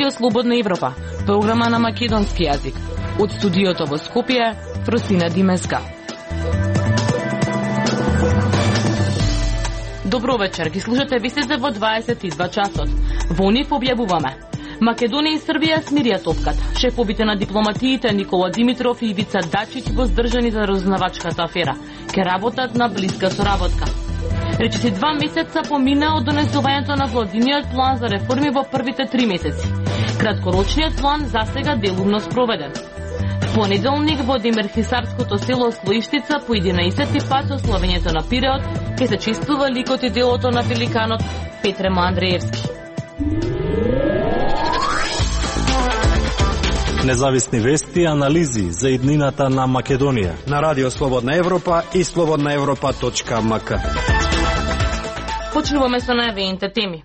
Радио Слободна Европа, програма на македонски јазик. Од студиото во Скопје, Фросина Димеска. Добро вечер, ги слушате вестите во 22 часот. Во нив објавуваме: Македонија и Србија смирија топката. Шефовите на дипломатиите Никола Димитров и Ивица Дачич воздржани за разузнавачката афера. Ке работат на блиска соработка. Речиси 2 месеца помина од донесувањето на владиниот план за реформи во првите 3 месеци. Краткорочниот план засега делумно спроведен. В понеделник во Демирхисарското село Слоиштица по 11 пат со славењето на Пиреот ке се чествува ликот и делото на великанот Петремо Андреевски. Независни вести и анализи за иднината на Македонија на Радио Слободна Европа и slobodnaevropa.mk. Почнуваме со најавените теми.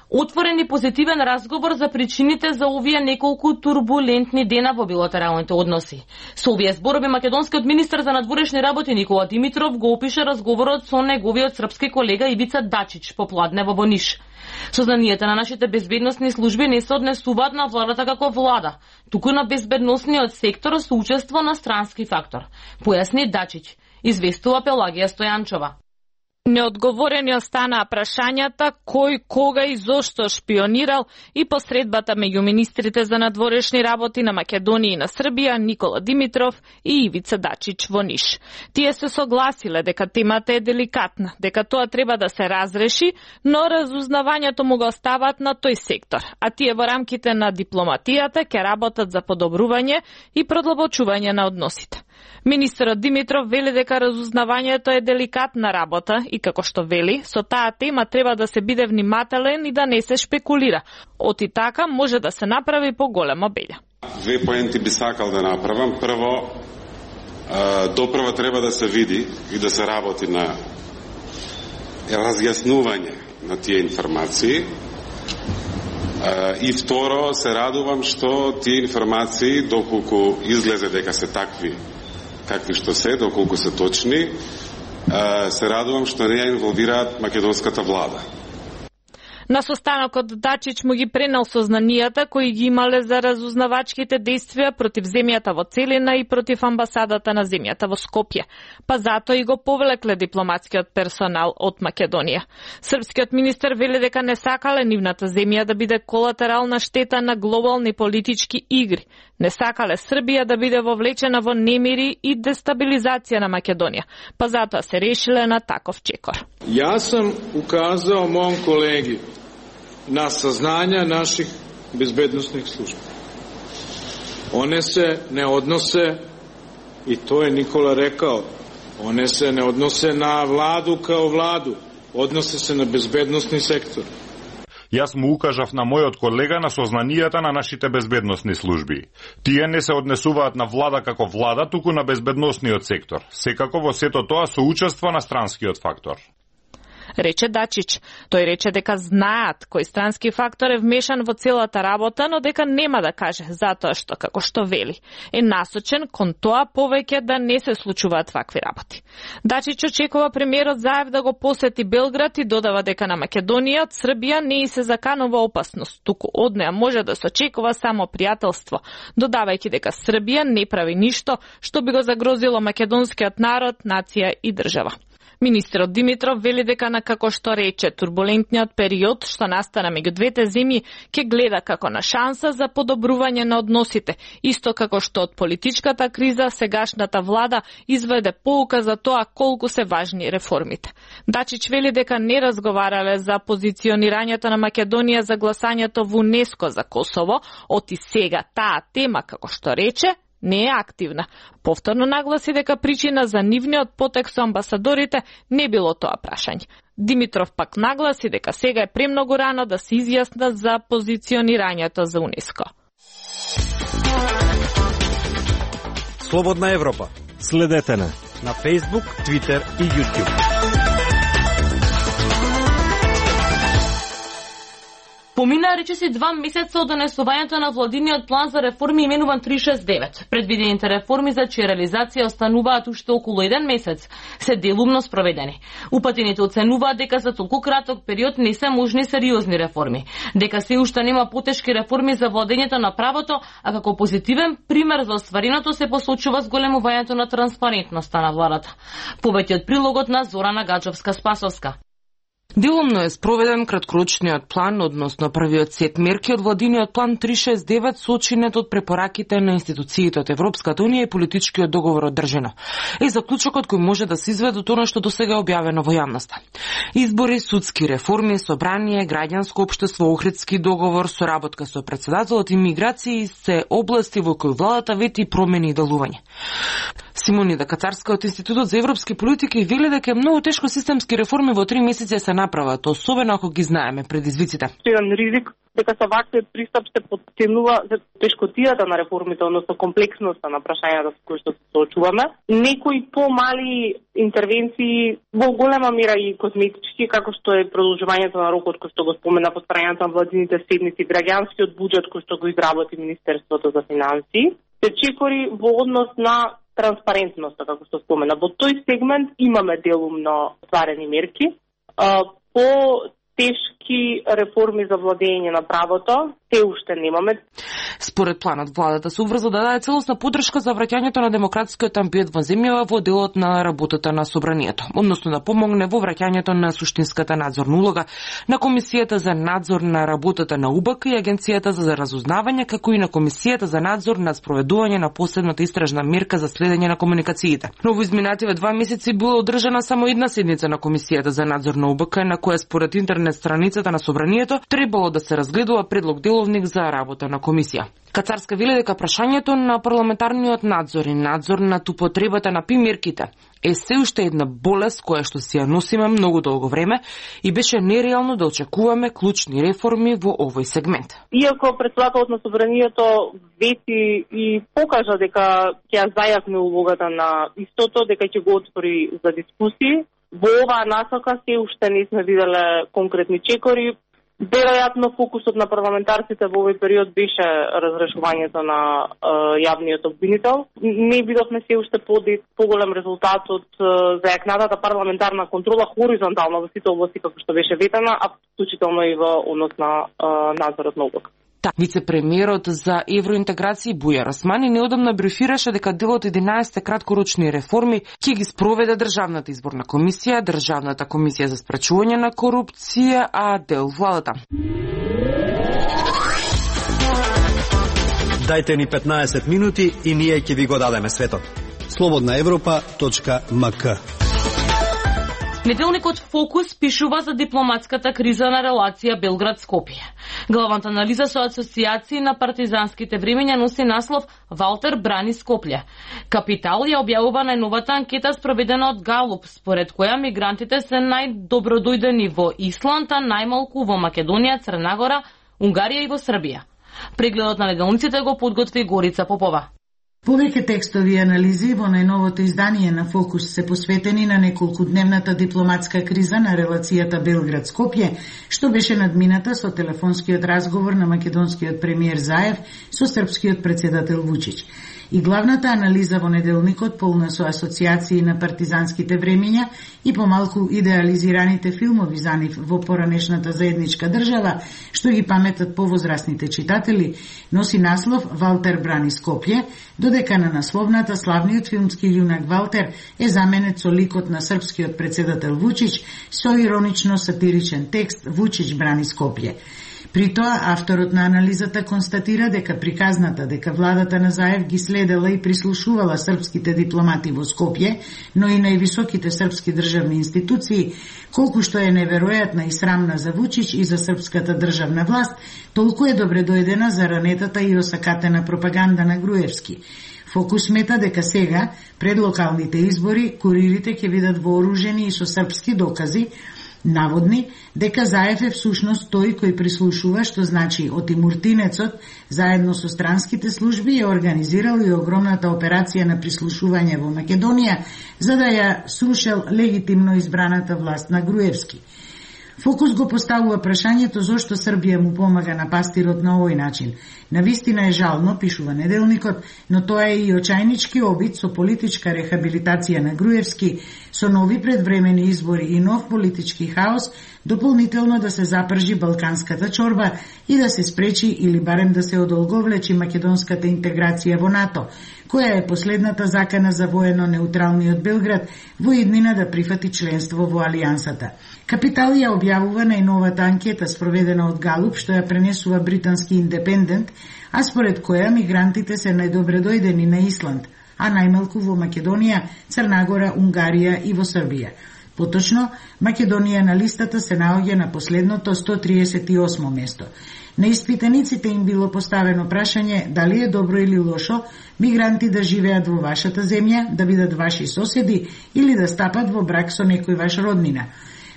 Отворен и позитивен разговор за причините за овие неколку турбулентни дена во билатералните односи. Со овие зборови македонскиот министар за надворешни работи Никола Димитров го опише разговорот со неговиот српски колега Ивица Дачич попладне во Ниш. Сознанијата на нашите безбедносни служби не се однесуваат на владата како влада, туку на безбедносниот сектор со учество на странски фактор, појасни Дачич, известува Пелагија Стојанчова. Неодговорени останаа прашањата кој, кога и зошто шпионирал и посредбата меѓу министрите за надворешни работи на Македонија и на Србија Никола Димитров и Ивица Дачич во Ниш. Тие се согласиле дека темата е деликатна, дека тоа треба да се разреши, но разузнавањето му го остават на тој сектор, а тие во рамките на дипломатијата ќе работат за подобрување и продлабочување на односите. Министерот Димитров вели дека разузнавањето е деликатна работа и како што вели, со таа тема треба да се биде внимателен и да не се шпекулира. Оти така може да се направи поголема беља. Две поенти би сакал да направам. Прво, допрва треба да се види и да се работи на разјаснување на тие информации. И второ, се радувам што тие информации, доколку излезе дека се такви какви што се, доколку се точни, се радувам што не ја инволвираат македонската влада. На состанокот Дачич му ги пренел сознанијата кои ги имале за разузнавачките действија против земјата во целина и против амбасадата на земјата во Скопје, па затоа и го повлекле дипломатскиот персонал од Македонија. Српскиот министер вели дека не сакале нивната земја да биде колатерална штета на глобални политички игри. Не сакале Србија да биде вовлечена во немири и дестабилизација на Македонија, па затоа се решиле на таков чекор. Јас сам указал мојом колеги на сознања наших безбедносних служби. One se ne odnose, i to je Nikola rekao, one se ne odnose na vladu kao vladu, odnose se na bezbednosni sektor. Јас му укажав на мојот колега на сознанијата на нашите безбедносни служби. Тие не се однесуваат на влада како влада, туку на безбедносниот сектор. Секако во сето тоа со учество на странскиот фактор. Рече Дачич. Тој рече дека знаат кој странски фактор е вмешан во целата работа, но дека нема да каже, затоа што, како што вели, е насочен кон тоа повеќе да не се случуваат вакви работи. Дачич очекува премиерот Заев да го посети Белград и додава дека на Македонија од Србија не и се заканува опасност, туку од неа може да се очекува само пријателство, додавајќи дека Србија не прави ништо што би го загрозило македонскиот народ, нација и држава. Министерот Димитров вели дека на, како што рече, турбулентниот период што настана меѓу двете земји ќе гледа како на шанса за подобрување на односите, исто како што од политичката криза сегашната влада изведе поука за тоа колку се важни реформите. Дачич вели дека не разговарале за позиционирањето на Македонија за гласањето во УНЕСКО за Косово, оти сега таа тема, како што рече, не е активна. Повторно нагласи дека причина за нивниот потек со амбасадорите не било тоа прашање. Димитров пак нагласи дека сега е премногу рано да се изјаснат за позиционирањето за УНЕСКО. Слободна Европа. Следете на Facebook, Twitter и YouTube. Помина речиси 2 месеца од донесувањето на владиниот план за реформи именуван 369. Предвидените реформи за чија реализација остануваат уште околу 1 месец, се делумно спроведени. Упатените оценуваат дека за толку краток период не се можни сериозни реформи, дека се уште нема потешки реформи за владењето на правото, а како позитивен пример за оствареното се посочува зголемувањето на транспарентноста на владата. Повеќе од прилогот на Зорана Гаджовска-Спасовска. Делумно е спроведен краткорочниот план, односно првиот сет мерки од владиниот план 369, сочинет од препораките на институциите од Европската унија и политичкиот договор одржано. Е заклучокот кој може да се изведе од она што досега е објавено во јавноста. Избори, судски реформи, собрание, граѓанско општество, Охридски договор, соработка со претседателот и миграции се области во кои владата вети промени и делување. Симонида Кацарска од Институтот за европски политики вели дека е многу тешко системски реформи во 3 месеци се направат, особено ако ги знаеме предизвиците. Еден ризик дека со ваквиот пристап се потенува тешкотијата на реформите, односно комплексноста на прашањата со кои што се соочуваме. Некои помали интервенции во голема мера и козметички, како што е продолжувањето на рокот кој што го спомена повторувањето на владините седници, граѓанскиот буџет кој што го изработи Министерството за финансии, се чекори во однос на транспарентноста, како што спомена. Во тој сегмент имаме делумно стварени мерки. По тешки реформи за владење на правото, те уште немаме. Според планот, владата се уврза да даде целосна поддршка за враќањето на демократскиот амбиент во земјава во делот на работата на собранието, односно да помогне во враќањето на суштинската надзорна улога на Комисијата за надзор на работата на УБК и Агенцијата за разузнавање, како и на Комисијата за надзор на спроведување на последната истражна мерка за следење на комуникациите. Но во изминативе 2 месеци била одржана само една седница на Комисијата за надзор на УБК, на која според интернет страницата на собранието требало да се разгледува предлог деловник за работа на комисија. Кацарска вели дека прашањето на парламентарниот надзор и надзор над употребата на примерките е се уште една болест која што си ја носиме многу долго време и беше нереално да очекуваме клучни реформи во овој сегмент. Иако председателот на собранието вети и покажа дека ќе зајакне улогата на истото, дека ќе го отвори за дискусии, во оваа насока се уште не сме виделе конкретни чекори. Веројатно фокусот на парламентарците во овој период беше разрешувањето на јавниот обвинител. Не видовме се уште поголем резултат од зајакнатата парламентарна контрола хоризонтално во сите области како што беше ветена, а вклучително и во однос на надзорот на УБК. Вице-премиерот за евроинтеграција Бујар Османи неодамна брифираше дека дел од 11 краткорочни реформи ќе ги спроведе Државната изборна комисија, Државната комисија за спречување на корупција, а дел владата. Дајте ни 15 минути и ние ќе ви го дадеме светот. slobodnaevropa.mk. Неделникот Фокус пишува за дипломатската криза на релација Белград-Скопје. Главната анализа со асоциации на партизанските времења носи наслов Валтер брани Скопје. Капитал ја објавува најновата анкета спроведена од Галуп, според која мигрантите се најдобродојдени во Исланд, а најмалку во Македонија, Црна Гора, Унгарија и во Србија. Прегледот на неделниците го подготви Горица Попова. Повеќе текстови и анализи во најновото издание на Фокус се посветени на неколкудневната дипломатска криза на релацијата Белград-Скопје, што беше надмината со телефонскиот разговор на македонскиот премиер Заев со српскиот председател Вучич. И главната анализа во неделникот, полна со асоциации на партизанските времења и помалку идеализираните филмови за нив во поранешната заедничка држава, што ги паметат повозрастните читатели, носи наслов Валтер брани Скопје, додека на насловната славниот филмски јунак Валтер е заменет со ликот на српскиот председател Вучич со иронично сатиричен текст Вучич брани Скопје. При тоа, авторот на анализата констатира дека приказната дека владата на Заев ги следела и прислушувала српските дипломати во Скопје, но и највисоките српски државни институции, колку што е неверојатна и срамна за Вучич и за српската државна власт, толку е добредојдена за ранетата и осакатена пропаганда на Груевски. Фокус смета дека сега, пред локалните избори, куририте ќе бидат вооружени и со српски докази, наводни дека Заев е всушност тој кој прислушува, што значи отимуртинецот, заедно со странските служби е организирал и огромната операција на прислушување во Македонија, за да ја срушел легитимно избраната власт на Груевски. Фокус го поставува прашањето зошто Србија му помага на пастирот на овој начин. Навистина е жално, пишува Неделникот, но тоа е и очајнички обид со политичка рехабилитација на Груевски, со нови предвремени избори и нов политички хаос, дополнително да се запржи балканската чорба и да се спречи или барем да се одолговлечи македонската интеграција во НАТО, која е последната закана за воено неутралниот Белград во иднина да прифати членство во Алијансата. Капитал ја објавува најновата анкета спроведена од Галуп, што ја пренесува британски Индепендент, а според која мигрантите се најдобре дојдени на Исланд, а најмалку во Македонија, Црнагора, Унгарија и во Србија. Поточно, Македонија на листата се наоѓа на последното 138 место. На испитаниците им било поставено прашање дали е добро или лошо мигранти да живеат во вашата земја, да бидат ваши соседи или да стапат во брак со некој ваш роднина.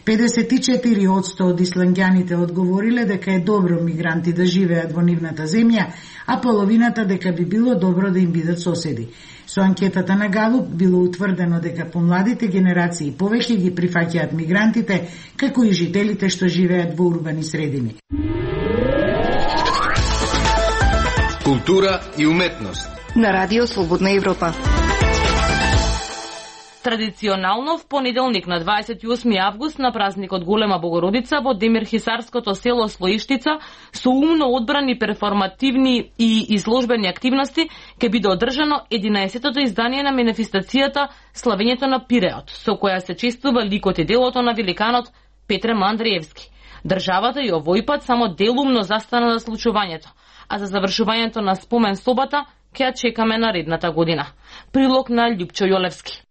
54% од исландјаните одговориле дека е добро мигранти да живеат во нивната земја, а половината дека би било добро да им бидат соседи. Со анкетата на Галуп било утврдено дека помладите генерации повеќе ги прифаќаат мигрантите, како и жителите што живеат во урбани средини. Култура и уметност на Радио Слободна Европа. Традиционално в понеделник на 28 август на празникот Голема Богородица во Демирхисарското село Слоиштица со умно одбрани перформативни и изложбени активности ќе биде одржано 11-тото издание на манифестацијата Славењето на Пиреот, со која се чествува ликот и делото на великанот Петре М. Андреевски. Државата и овој пат само делумно застана за случувањето, а за завршувањето на спомен собата ќе ја чекаме наредната година. Прилог на Љупчо Јолевски.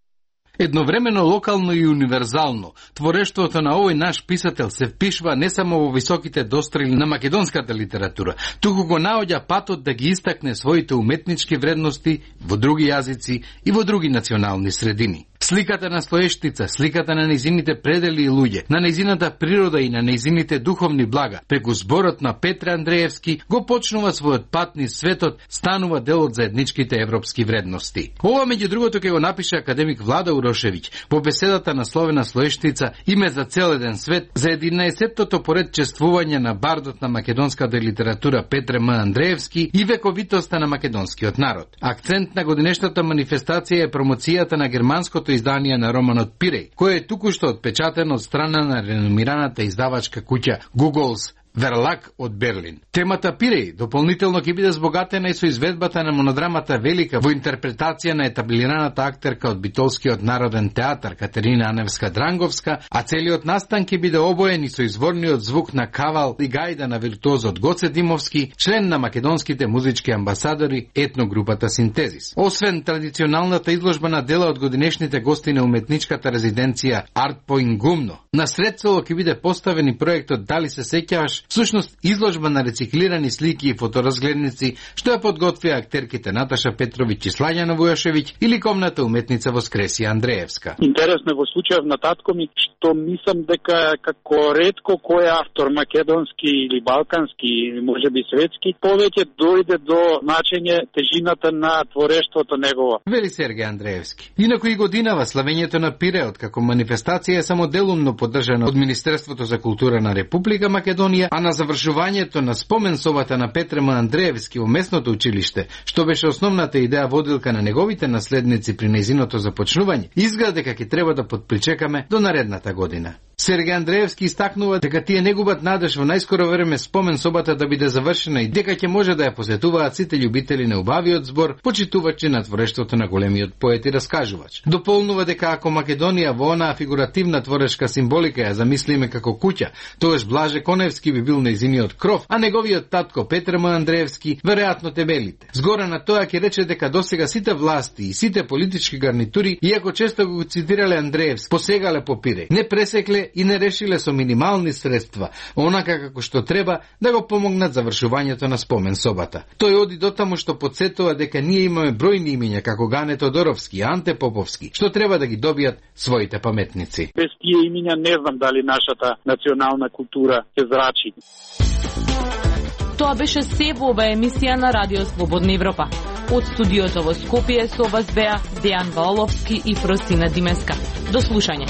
Едновремено локално и универзално, творештвото на овој наш писател се впишва не само во високите дострели на македонската литература, туку го наоѓа патот да ги истакне своите уметнички вредности во други јазици и во други национални средини. Сликата на Слоештица, сликата на нејзините предели и луѓе, на нејзината природа и на нејзините духовни блага, преку зборот на Петре Андреевски, го почнува својот пат низ светот, станува дел од заедничките европски вредности. Ова меѓу другото ќе го напише академик Влада Урошевиќ во беседата на Словена Слоештица Име за цел еден свет за 11-тото поред чествување на бардот на македонската литература Петре М. Андреевски и вековитоста на македонскиот народ. Акцент на годинешната манифестација е промоцијата на германското издание на романот Пиреј, кој е токушто отпечатен од страна на реномираната издавачка куќа Google's Верлак од Берлин. Темата Пиреј дополнително ќе биде збогатена и со изведбата на монодрамата Велика во интерпретација на етаблираната актерка од Битолскиот народен театар Катерина Аневска-Дранговска, а целиот настан ќе биде обоен и со изворниот звук на кавал и гајда на виртуозот Гоце Димовски, член на македонските музички амбасадори етногрупата Синтезис. Освен традиционалната изложба на дела од годинешните гости на уметничката резиденција Арт Point Гумно, на сред село ќе биде поставен и проектот Дали се сеќаваш, всушност изложба на рециклирани слики и фоторазгледници, што ја подготвија актерките Наташа Петровиќ и Слаѓана Вујашевиќ и ликовната уметница Воскресија Андреевска. Интересно во случајов на татко ми, што мислам дека како ретко кој автор македонски или балкански или можеби светски повеќе дојде до значење тежината на творештвото негово. Вели Сергеј Андреевски. Инаку и годинава Славењето на Пиреот како манифестација е само делумно поддржана од Министерството за култура на Република Македонија, а на завршувањето на спомен собата на Петре М. Андреевски во местното училиште, што беше основната идеја водилка на неговите наследници при нејзиното започнување, изгледа дека ќе треба да подпричекаме до наредната година. Сергеј Андреевски истакнува дека тие не губат надеж во најскоро време спомен собата да биде завршена и дека ќе може да ја посетуваат сите љубители на убавиот збор, почитувачи на творештвото на големиот поет и раскажувач. Дополнува дека ако Македонија во онаа фигуративна творечка символика ја замислиме како куќа, тогаш Блаже Коневски би бил нејзиниот кров, а неговиот татко Петре М. Андреевски веројатно тебелите. Згора на тоа ќе рече дека досега сите власти и сите политички гарнитури, иако често го цитирале Андреевски, посегале по Пиреј, не пресекле и не решиле со минимални средства, онака како што треба да го помогнат завршувањето на спомен собата. Тој оди дотаму што подсетува дека ние имаме бројни имиња како Гане Тодоровски и Анте Поповски, што треба да ги добијат своите паметници. Без тие имиња не знам дали нашата национална култура се зрачи. Тоа беше се во оваа емисија на Радио Слободна Европа. Од студиото во Скопје со вас беа Дејан Валовски и Фросина Димеска. До слушање.